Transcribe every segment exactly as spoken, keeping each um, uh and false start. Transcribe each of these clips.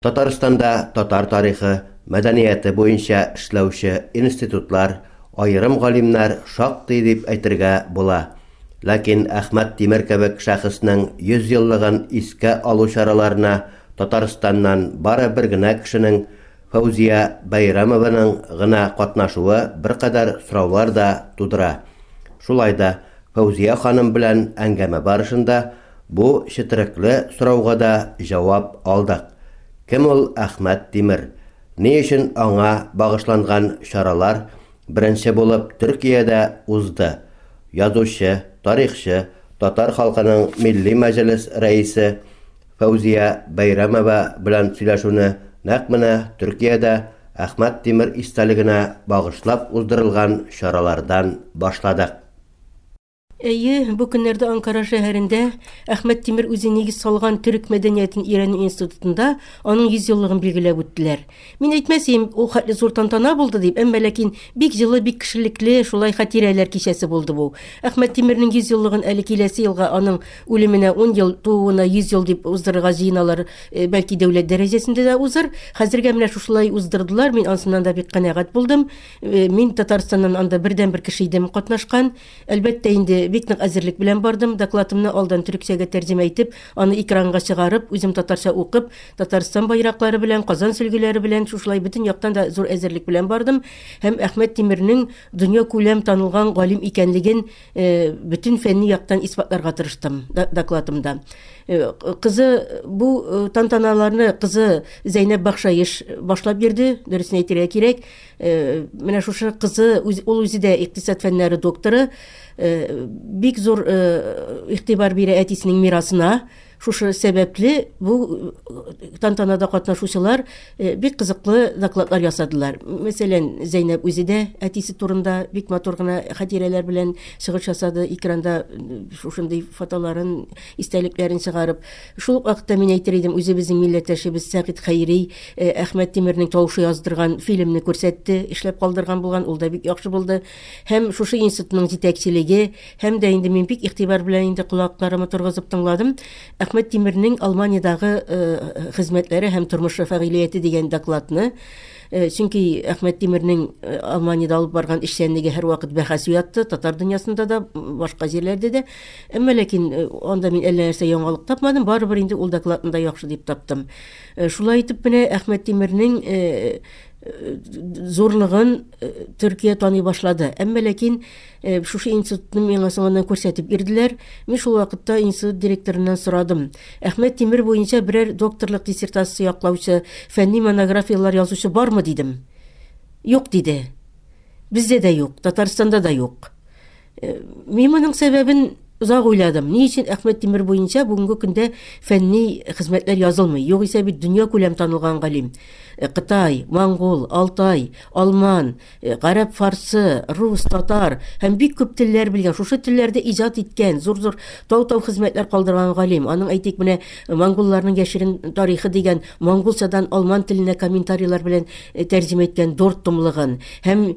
Татарстанда татар тарихы, мәдәнияте буенча эшләүче институтлар, аерым галимнәр шактый дип әйтергә була. Ләкин Әхмәт Тимер кебек шәхеснең йөз еллыгын искә алу чараларына Татарстаннан бары бер генә кешенең, Фәүзия Бәйрәмованың гына катнашуы беркадәр сораулар да тудыра. Шулай да Фәүзия ханым белән әңгәмә барышында бу четерекле сорауга да җавап алдык. Кем ул Әхмәт Тимер? Ни өчен аңа багышланган чаралар беренче булып Төркиядә узды? Язучы, тарихчы, татар халкының Милли Мәҗлес рәисе Фәүзия Бәйрәмова белән сөйләшүне нәкъ менә Төркиядә Әхмәт Тимер истәлегенә багышлап уздырылган чаралардан башладык. Әйе, бу көннәрдә Анкара шәһәрендә Әхмәт Тимер үзе нигез салган Төрек мәдәниятен өйрәнү институтында аның йөз еллыгын билгеләп үттеләр. Мин әйтмәс идем, ул хәтле зур тантана булды дип, әмма ләкин бик җылы, бик кешелекле, шулай хатирәләр кичәсе булды бу. Әхмәт Тимернең йөз еллыгын әле киләсе елга аның үлеменә ун ел, тууына йөз ел дип уздырырга җыеналар, бәлки дәүләт дәрәҗәсендә дә узыр. Хәзергә менә шушылай уздырдылар, мин ансыннан да бик канәгать булдым. Мин Татарстаннан анда бердән-бер кеше идем катнашкан. Әлбәттә инде бик нык әзерлек белән бардым. Докладымны алдан төрекчәгә тәрҗемә итеп, аны экранга чыгарып, үзем татарча укып, Татарстан байраклары белән, Казан сөлгеләре белән шушылай бөтен яктан да зур әзерлек белән бардым. Һәм Әхмәт Тимернең дөнья күләм танылган галим икәнлеген бөтен фәнни яктан исбатларга тырыштым докладымда. Кызы бу тантаналарны кызы Зәйнәб Бахшаеш башлап бирде, дөресен әйтергә кирәк. Менә шушы кызы, ул үзе дә икътисад фәннәре докторы, бик зур игътибар бирә әтисенең мирасына. Шушы сәбәпле бу тантанада катнашучылар бик кызыклы докладлар ясадылар. Мәсәлән, Зәйнәб үзе дә әтисе турында бик матур гына хатирәләр белән чыгыш ясады, экранда шушындый фотоларын, истәлекләрен чыгарып. Шул ук вакытта мин әйтер идем, үзебезнең милләттәшебез Сәгыйть Хәйри Әхмәт Тимернең тавышы яздырган фильмны күрсәтте, эшләп калдырган булган, ул да бик яхшы булды. Һәм шушы институтның җитәкчелеге, һәм дә инде мин бик игътибар белән инде колакларымны торгызып тыңладым. Әхмәт Тимернең Алманиядагы хезмәтләре һәм тормышы фәгыйлияте дигән докладны, чөнки Әхмәт Тимернең Алманиядә алып барган эшчәнлеге һәрвакыт бәхәс уятты, татар дөньясында да, башка җирләрдә дә. Әмма ләкин анда мин әллә нәрсә яңалык тапмадым, барыбер инде ул докладны да яхшы дип таптым. Шулай итеп менә Әхмәт Тимернең зурлыгын Төркия таный башлады. Әмма ләкин шушы институтны миңа соңыннан күрсәтеп бирделәр. Мин шул вакытта институт директорыннан сорадым. Әхмәт Тимер буенча берәр докторлык диссертациясе яклаучы, фәнни монографияләр язучы бармы дидем. Юк диде. Бездә дә юк, Татарстанда да юк. Мин моның сәбәбен озак уйладым. Ни өчен Әхмәт Тимер буенча бүгенге көндә фәнни хезмәтләр язылмый? Югыйсә бит дөнья күләм танылган галим. Кытай, Монгол, Алтай, Алман, гарәп, фарсы, рус, татар һәм бик күп телләр белгән, шушы телләрдә иҗат иткән, зур-зур тау-тау хезмәтләр калдырган галим. Аның әйтик менә монголларның яшерен тарихы дигән монголчадан алман теленә комментарийлар белән тәрҗемә иткән дүрт томлыгын һәм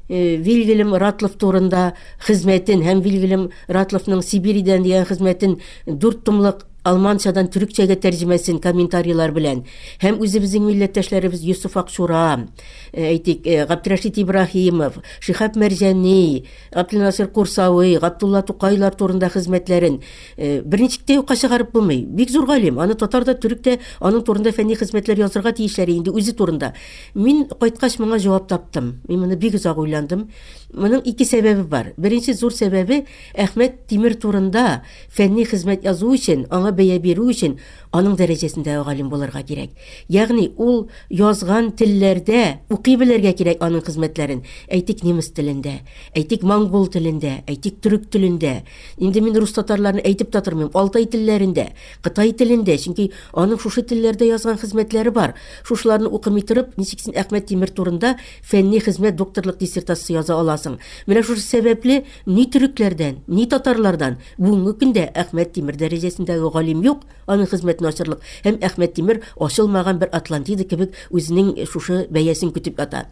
Вильгельм Ратлов турында хезмәтен һәм Вильгельм Ратловның Сибиридән дигән хезмәтен дүрт томлык алманчадан төрекчәгә тәрҗемәсен комментарийлар белән һәм үзебезнең милләттәшләребез Йосыф Акчура, әйтик, Габдрәшит Ибраһимов, Шиһаб Мәрҗани, Габделнасыр Курсавый, Габдулла Тукайлар турында хезмәтләрен берничек тә юкка чыгарып булмый. Бик зур галим, аны татар да, төрек тә аның турында фәнни хезмәтләр язырга тиешләр инде үзе турында. Мин кайткач моңа җавап таптым. Мин моны бик озак уйландым. Моның ике сәбәбе бар. Беренче зур сәбәбе Әхмәт Тимер турында фәнни хезмәт язу өчен, аңа бәя бирү өчен аның дәрәҗәсендә галим булырга кирәк. Ягъни ул язган телләрдә укый белергә кирәк аның хезмәтләрен. Әйтик немец телендә, әйтик монгол телендә, әйтик төрек телендә. Инде мин рус татарларны әйтеп тә тормыйм, алтай телләрендә, кытай телендә, чөнки аның шушы телләрдә язган хезмәтләре бар. Шушыларны укымый торып, ничек син Әхмәт Тимер турында фәнни хезмәт докторлык диссертациясе яза аласың? Менә шушы сәбәпле ни төрекләрдән, ни татарлардан бүгенге көндә Әхмәт Тимер дәрәҗәсендәге галим галим юк, аның хезмәтен ачырлык. Һәм Әхмәт Тимер ачылмаган бер Атлантида кебек үзенең шушы бәясен көтеп ята.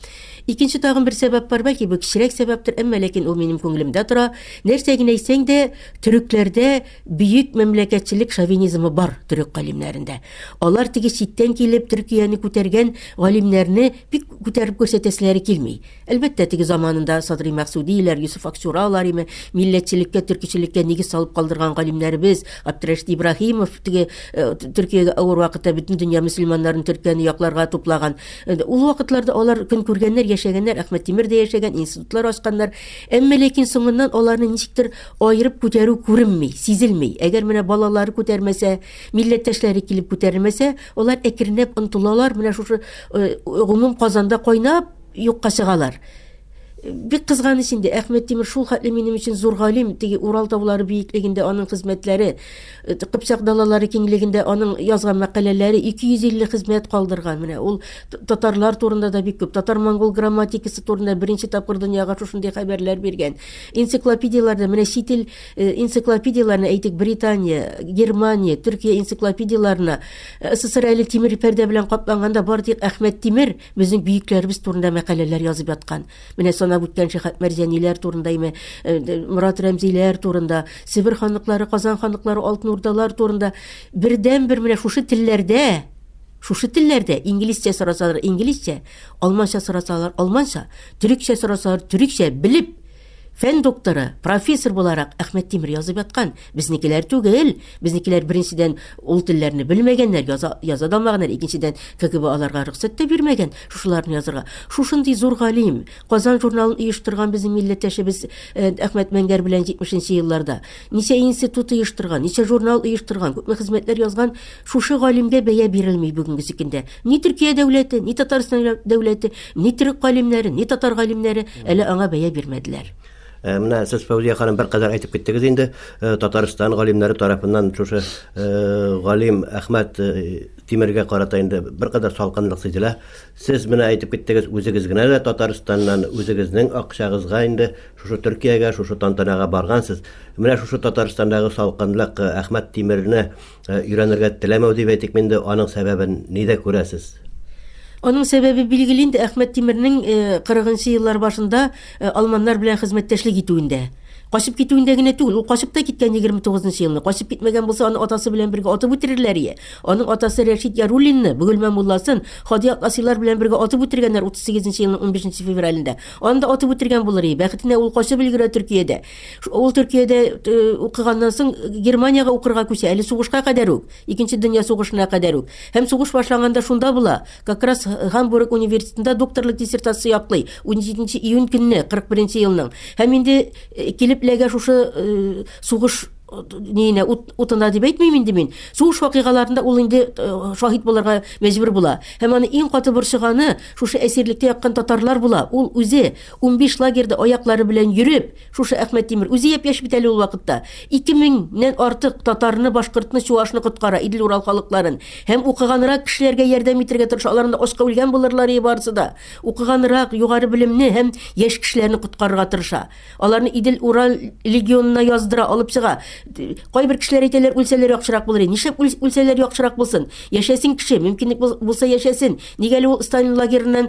Икенче тагын бер сәбәп бар, бәлки бу кечерәк сәбәптер, әмма ләкин ул минем күңелемдә тора. Нәрсә генә әйтсәң дә, төрекләрдә бөек мәмләкәтчелек шовинизмы бар төрек галимнәрендә. Алар теге читтән килеп Төркияне күтәргән галимнәрне бик күтәреп күрсәтәселәре килми. Әлбәттә, теге заманында Садри Мәксудиләр, Юсуф Акчуралар име милләтчелеккә, төркичелеккә нигез салып калдырган галимнәребез, Абдрашид Ибраһимов теге Төркиягә авыр вакытта бөтен дөнья мөселманнарын Төркияне якларга туплаган. Ул вакытларда алар көн күргәннәр, яшәгәннәр, Әхмәт Тимер дә яшәгән, институтлар ачканнар. Әмма ләкин соңыннан аларны ничектер аерып күтәрү күренми, сизелми. Әгәр менә балалары күтәрмәсә, милләттәшләре килеп күтәрмәсә, алар әкренләп онытылалар, менә шушы гомум Казанда кайнап юкка чыгалар. Бик кызганыч инде, Әхмәт Тимер шул хәтле минем өчен зур галим, теге Урал таулары биеклегендә аның хезмәтләре, Кыпчак далалары киңлегендә аның язган мәкаләләре ике йөз илле хезмәт калдырган. Менә ул татарлар турында да бик күп, татар-монгол грамматикасы турында беренче тапкыр дөньяга шушындый хәбәрләр биргән. Энциклопедияләрдә, менә чит ил энциклопедияләренә әйтик, Британия, Германия, Төркия энциклопедияләренә СССР әле тимер пәрдә белән капланганда бар тик Әхмәт Тимер безнең бөекләребез турында мәкаләләр язып яткан. Менә санап үткән Шәһәт Мәрҗаниләр турында, име, Морат Рәмзиләр турында, Себер ханлыклары, Казан ханлыклары, Алтын Урдалар турында бердән-бер менә шушы телләрдә, шушы телләрдә инглизчә сорасалар инглизчә, алманча сорасалар алманча, төрекчә сорасалар төрекчә белеп, фән докторы, профессор буларак Әхмәт Тимер язып яткан. Безнекеләр түгел. Безнекеләр беренчедән ул телләрне белмәгәннәр, яза, яза да алмаганнар, икенчедән К Г Б аларга рөхсәт тә бирмәгән шушыларны язырга. Шушындый зур галим, Казан журналын оештырган безнең милләттәшебез Әхмәт Мәңгәр белән җитмешенче елларда ничә институт оештырган, ничә журнал оештырган, күпме хезмәтләр язган, шушы галимгә бәя бирелми бүгенге көндә. Ни Төркия дәүләте, ни Татарстан дәүләте, ни төрек галимнәре, ни татар галимнәре әле аңа бәя бирмәделәр. Менә сез Фәүзия ханым бер кадәр әйтеп киттегез инде, Татарстан галимнәре тарафыннан шушы галим Әхмәт Тимергә карата инде бер кадәр салкынлык сизелә. Сез менә әйтеп киттегез, үзегез генә дә Татарстаннан үзегезнең акчагызга инде шушы Төркиягә, шушы тантанага баргансыз. Менә шушы Татарстандагы салкынлык Әхмәт Тимерне өйрәнергә теләмәү дип әйтик инде, аның сәбәбен нидә күрәсез? Аның сәбәбе билгеле инде, Әхмәт Тимернең кырыгынчы еллар башында алманнар белән хезмәттәшлек итүендә. Качып китүендә генә түгел, ул качып та киткән егерме тугызынчы елны. Качып китмәгән булса, аны атасы белән бергә атып үтерерләр ие. Аның атасы Рәшид Яруллинны, Бөгелмә мулласын, Һади Атласилар белән бергә атып үтергәннәр утыз сигезенче елның унбишенче февралендә. Аны да атып үтергән булыр ие. Бәхетенә ул качып өлгерә Төркиядә. Ул Төркиядә укыганнан соң Германиягә укырга күчә, әле сугышка кадәр үк, Икенче дөнья сугышына кадәр үк. Һәм сугыш башланганда шунда була. Как раз Гамбург университетында докторлык диссертация яклый ун җиденче июнь көнне кырык беренче елның. Һәм инде килеп ләгә шушы сугыш ниенә утына дип әйтмим инде мин. Сугыш вакыйгаларында ул инде шаһит булырга мәҗбүр була. Һәм аны иң каты борчыганы шушы әсирлектә яткан татарлар була. Ул үзе унбиш лагерьда аяклары белән йөреп, шушы Әхмәт Тимер үзе япь-яшь бит әле ул вакытта. ике меңнән артык татарны, башкортны, чуашны коткара, Идел-Урал халыкларын. Һәм укыганрак кешеләргә ярдәм итәргә тырыша. Аларны ашка үлгән булырлар барысы да. Укыганрак, югары белемне һәм яшь кешеләрне коткарырга тырыша. Аларны Идел-Урал легионына яздыра, алып чыга. Кайбер кешеләр әйтәләр, үлсәләр яхшырак булыр. Нишләп үлсәләр яхшырак булсын? Яшәсен кеше, мөмкинлек булса яшәсен. Нигә әле ул Сталин лагерыннан,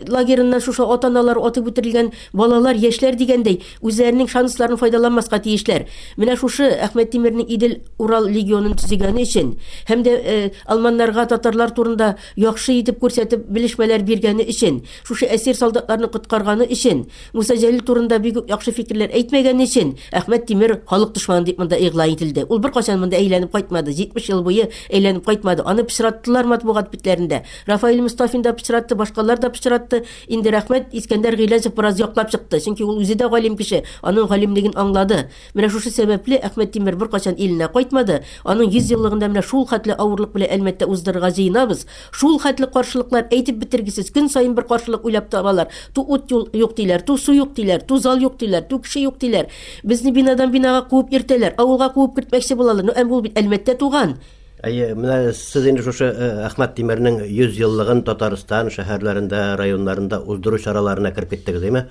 лагерыннан шушы ата-аналар атып үтерелгән балалар, яшьләр дигәндәй, үзләренең шансларын файдаланмаска тиешләр. Менә шушы Әхмәт Тимернең Идел-Урал легионын төзегәне өчен һәм дә алманнарга татарлар турында яхшы итеп күрсәтеп белешмәләр биргәне өчен, шушы әсир солдатларны коткарганы өчен, Муса Җәлил турында бик үк яхшы фикерләр әйтмәгәне өчен Әхмәт Тимер халык дошманы дип монда игълан ителде. Ул беркайчан монда әйләнеп кайтмады. җитмеш ел буе әйләнеп кайтмады. Аны пычраттылар матбугат битләрендә. Рафаэль Мустафин да пычратты, башкалар да пычратты. Инде рәхмәт, Искәндәр Гыйләҗев бераз яклап чыкты. Чөнки ул үзе дә галим кеше, аның галимлеген аңлады. Менә шушы сәбәпле Әхмәт Тимер беркайчан иленә кайтмады. Аның йөз еллыгында менә шул хәтле авырлык белән Әлмәттә уздырырга җыенабыз. Шул хәтле каршылыклар әйтеп бетергесез. Көн саен бер каршылык уйлап табалар. Ту ут юк диләр, ту су юк диләр, ту зал юк диләр, ту кеше юк диләр. Безне бинадан бинага куып йөртәләр, авылга куып кертмәкче булалар. Ну, әм ул бит Әлмәттә туган. Әйе, менә сез инде шушы Әхмәт Тимернең йөз еллыгын Татарстан шәһәрләрендә, районнарында уздыру чараларына кереп киттегез, әйме?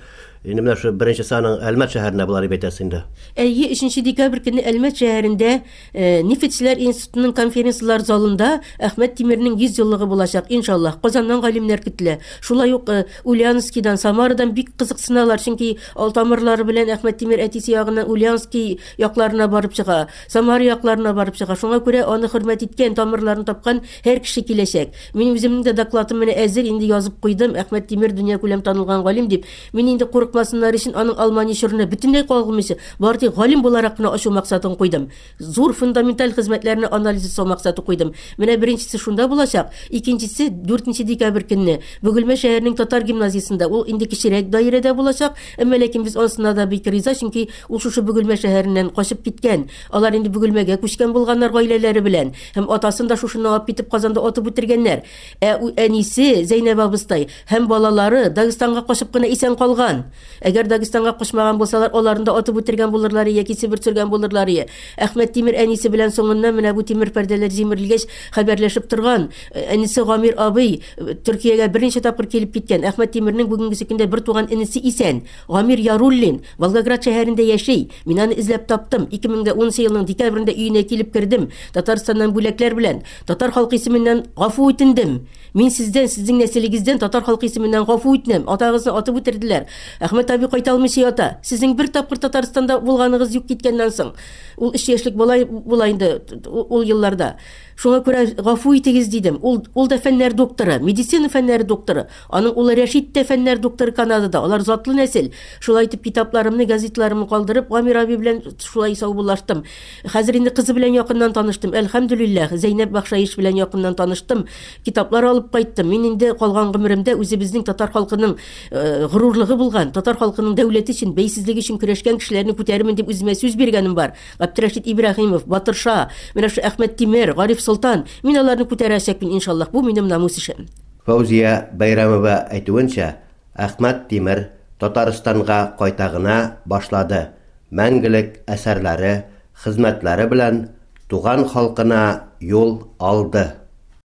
Инде менә шу беренчесе аның Әлмәт шәһәрендә була дип әйтәсез инде. Әйе, өченче декабрь көнне Әлмәт шәһәрендә э, Нефтьчеләр институтының конференциялар залында Әхмәт Тимернең йөз еллыгы булачак, иншаллаһ. Казаннан галимнәр көтелә. Шулай ук э, Ульяновскийдан, Самарадан бик кызыксыналар, чөнки ал тамырлары белән Әхмәт Тимер әтисе ягыннан Ульяновский якларына барып чыга, Самара якларына барып чыга. Шуңа күрә аны хөрмәт иткән, тамырларын тапкан һәр кеше киләчәк. Мин үземнең дә докладым менә әзер, инде язып куйдым. Әхмәт Тимер дөнья күләм танылган галим дип. Мин инде курыкмасыннар өчен аның Алмания чорына бөтенләй кагылмыйча, бары тик галим буларак кына ачу максатын куйдым. Зур фундаменталь хезмәтләрне анализ ясау максаты куйдым. Менә беренчесе шунда булачак, икенчесе дүртенче декабрь көнне Бөгелмә шәһәренең татар гимназиясендә, ул инде кечерәк даирәдә булачак, әмма ләкин без анысына да бик риза, чөнки ул шушы Бөгелмә шәһәреннән качып киткән. Алар инде Бөгелмәгә күчкән булганнар гаиләләре белән. Һәм атасын да шушыннан алып китеп Казанда атып үтергәннәр. Ә әнисе Зәйнәб абыстай һәм балалары Дагестанга качып кына исән калган. Әгәр Дагестанга качмаган булсалар, аларны да атып үтергән булырлар яки Себер сөргән булырлар. Әхмәт Тимер әнисе белән соңыннан менә бу тимер пәрдәләр җимерелгәч хәбәрләшеп торган. Әнисе Гамир абый Төркиягә берничә тапкыр килеп киткән. Әхмәт Тимернең бүгенге көндә бер туган энесе исән. Гамир Яруллин Волгоград шәһәрендә яши. Мин аны эзләп таптым. ике мең унынчы елның декабрендә өенә килеп кердем. Татарстаннан бүләкләр белән татар халкы исеменнән гафу үтендем. Мин сездән, сезнең нәселегездән татар халкы исеменнән гафу үтенәм. Атагызны атып үтерделәр. Әхмәт абый кайта алмыйча ята. Сезнең бер тапкыр Татарстанда булганыгыз юк киткәннән соң. Ул өч яшьлек бала була инде ул елларда. Шуңа күрә гафу итегез дидем. Ул, ул да фәннәр докторы, медицина фәннәре докторы. Аның улы Рәшит тә фәннәр докторы Канадада. Алар затлы нәсел. Шулай итеп китапларымны, газетларымны калдырып, Гамир абый белән шулай саубуллаштым. Хәзер инде кызы белән якыннан таныштым. Әлхәмдүлилләһ, Зәйнәб Бахшаиш белән якыннан таныштым. Китаплар алып кайттым. Мин инде калган гомеремдә үзебезнең татар халкының э, горурлыгы булган, татар халкының дәүләте өчен, бәйсезлеге өчен көрәшкән кешеләрне күтәрермен дип үземә сүз биргәнем бар. Габдрәшит Ибраһимов, Батырша, менә шу Әхмәт Тимер, Гариф Солтан. Мин аларны күтәрәчәкмен иншаллаһ. Бу минем намус эшем. Фәүзия Бәйрәмова әйтүенчә, Әхмәт Тимер Татарстанга кайта гына башлады. Мәңгелек әсәрләре, хезмәтләре белән туган халкына юл алды.